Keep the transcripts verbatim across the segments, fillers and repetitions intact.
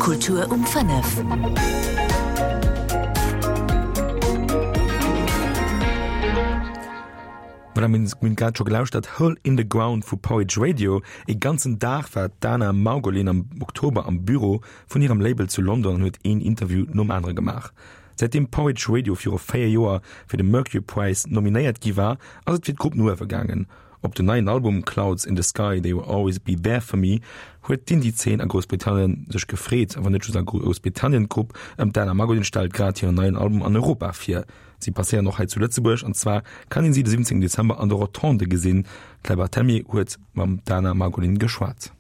Kultur um fënnef. Voilà, mir hunn grad scho gelauschtert, Hole in the Ground vu Porridge Radio. E ganzen Dag war d'Dana Margolin am Oktober am Büro vun hirem Label zu London an huet een Interview nom anere gemaach. Säitdeem Porridge Radio viru véier Joer fir de Mercury Prize nominéiert gi war, ass et fir d'Grupp no uewe gaangen. Op den neien Album Clouds in the Sky, They Will Always Be There For Me huet d'Indie-Zeen a Groussbritannien sech gefreet. Awer net just a Groussbritannien, d'Grupp ëm d'Dana Margolin stellt grad hiren neien Album an Europa vir. Si passéieren och hei zu Lëtzebuerg an zwar kann een si de siwwenzéngten Dezember an der Rotonde gesinn. D'Claire Barthelmy huet mam Dana Margolin geschwat.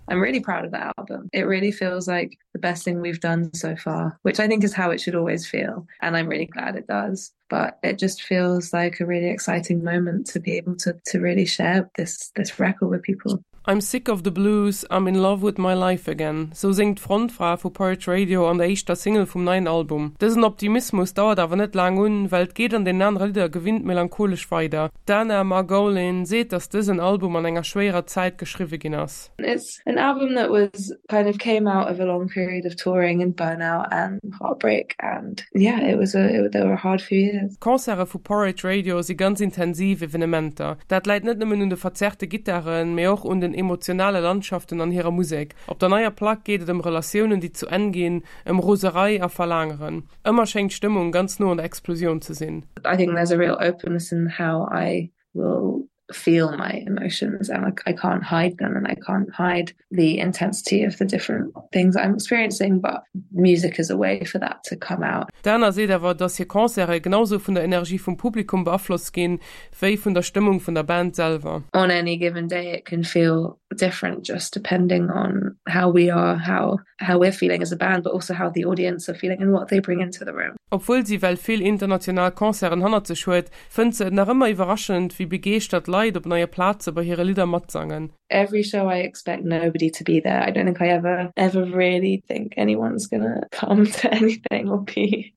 I'm really proud of that album. It really feels like the best thing we've done so far, which I think is how it should always feel. And I'm really glad it does. But it just feels like a really exciting moment to be able to, to really share this, this record with people. I'm sick of the blues, I'm in love with my life again, sou séngt d'Frontfra vu Porridge Radio an der éischter Single vum neien Album. Dësen Optimismus dauert awer net laang un, well et geet an den anere Lidder gewinnt melancholesch weider. D'Dana Margolin seet, dass dësen Album an enger schwéierer Zäit geschriwwe ginn ass. It's an album that was kind of came out of a long period of touring and burnout and heartbreak and yeah, it was a it, there were hard few years. Concerte vu Porridge Radio si ganz intensiv Evenementer. Dat läit net nëmmen un de verzerrte Gittaren, mee och un den emotionale Landschaften an hirer Musek. Op der neier Plack geet et ëm Relatiounen, déi zu Enn ginn, ëm Roserei a Verlaangeren. Ëmmer schéngt d'Stëmmung ganz no un der Explosioun ze sinn. I think there's a real openness in how I will feel my emotions and like I can't hide them and I can't hide the intensity of the different things I'm experiencing, but music is a way for that to come out. D'Dana seet awer, dass hir Concerte genau sou vun der Energie vum Publikum beaflosst ginn, wéi vun der Stëmmung vun der Band selwer. On any given day it can feel different just depending on how we are, how how we're feeling as a band, but also how the audience are feeling and what they bring into the room. Obwuel si well vill international Concerten hannert sech huet, fënnt se et nach ëmmer iwwerraschend, wéi begeeschtert Leit op neie Plaze bei hire Lidder matsangen. Every show I expect nobody to be there. I don't think I ever ever really think anyone's gonna come to anything or be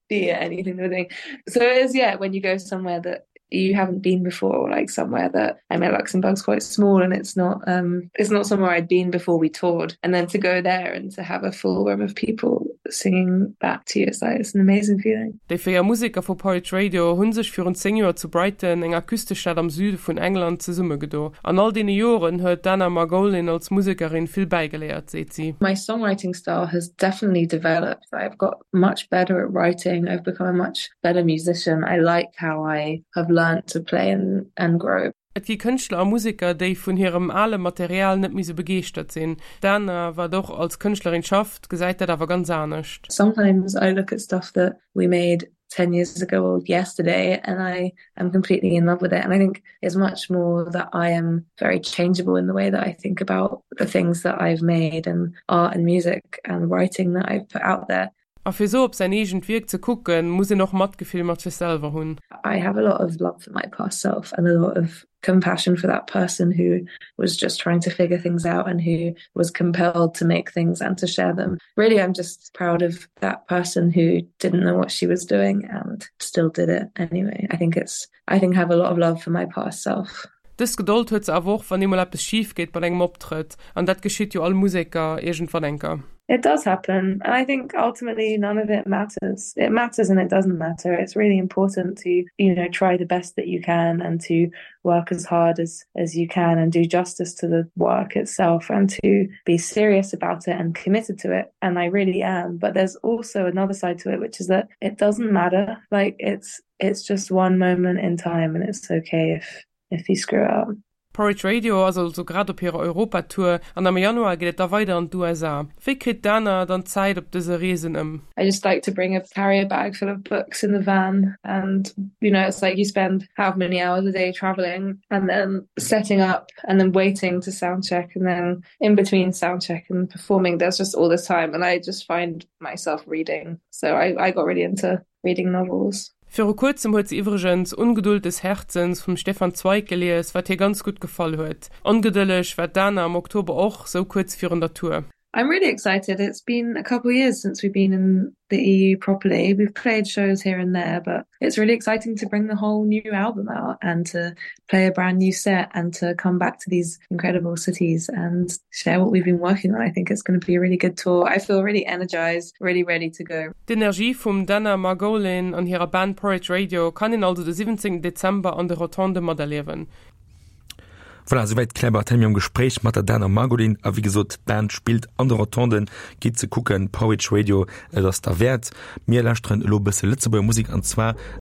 be at anything we're doing. So it is yeah, when you go somewhere that you haven't been before or like somewhere that I mean Luxembourg's quite small and it's not um it's not somewhere I'd been before we toured and then to go there and to have a full room of people singing back to you it's like it's an amazing feeling. Déi véier Museker vu Porridge Radio hu sech virun zéng Joer zu Brighton, enger Küstestad am Süde vun England, zesummegedo. An all deene Joren huet d'Dana Margolin als Musekerin vill bäigeléiert, seet si. My songwriting style has definitely developed. I've got much better at writing. I've become a much better musician. I like how I have learned to play and, and grow. Et gi Kënschtler a Museker, déi vun hirem ale Material net méi sou begeeschtert sinn. D'Dana, wat och als Kënschtlerin schafft, gesäit dat awer ganz anescht. Sometimes I look at stuff that we made ten years ago or yesterday and I am completely in love with it. And I think it's much more that I am very changeable in the way that I think about the things that I've made and art and music and writing that I've put out there. A fir sou op säin eegent Wierk ze kucken, muss een och Matgefill mat sech selwer hunn. I have a lot of love for my past self and a lot of compassion for that person who was just trying to figure things out and who was compelled to make things and to share them. Really, I'm just proud of that person who didn't know what she was doing and still did it anyway. I think it's I think I have a lot of love for my past self. Dës Gedold huet se awer och, wann eemol eppes schif geet bei engem Optrëtt, an dat geschitt jo all Museker iergendwann eng Kéier. It does happen and I think ultimately none of it matters. It matters and it doesn't matter. It's really important to you know try the best that you can and to work as hard as as you can and do justice to the work itself and to be serious about it and committed to it and I really am. But there's also another side to it which is that it doesn't matter. Like it's it's just one moment in time and it's okay if if you screw up. Porridge Radio ass also grad op hirer Europatour an am Januar geet et da weider an d'USA. Wéi kritt d'Dana dann d'Zäit op dëse Reesen ëm? I just like to bring a carrier bag full of books in the van and you know it's like you spend how many hours a day traveling and then setting up and then waiting to sound check and then in between sound check and performing there's just all this time and I just find myself reading. So I, I got really into reading novels. Viru kuerzem huet se iwwregens Ungeduld des Herzens vum Stefan Zweig gelies, wat hir ganz gutt gefall huet. Ongedëlleg war d'Dana am Oktober och, sou kuerz virun der Tour. I'm really excited. It's been a couple of years since we've been in the E U properly. We've played shows here and there, but it's really exciting to bring the whole new album out and to play a brand new set and to come back to these incredible cities and share what we've been working on. I think it's gonna be a really good tour. I feel really energized, really ready to go. D'Energie vum Dana Margolin an hirer Band Porridge Radio kann een also de siwwenzéngten Dezember an de Rotonde materliewen. Voilà, souwäit d'Claire Barthelemy am Gespréich mat der Dana Margolin. A wéi gesot, d'Band spillt an de Rotonden. Gitt se kucken, Porridge Radio, et ass derwäert. Mir lauschteren elo e bësse Lëtzebuerger Musek, an zwar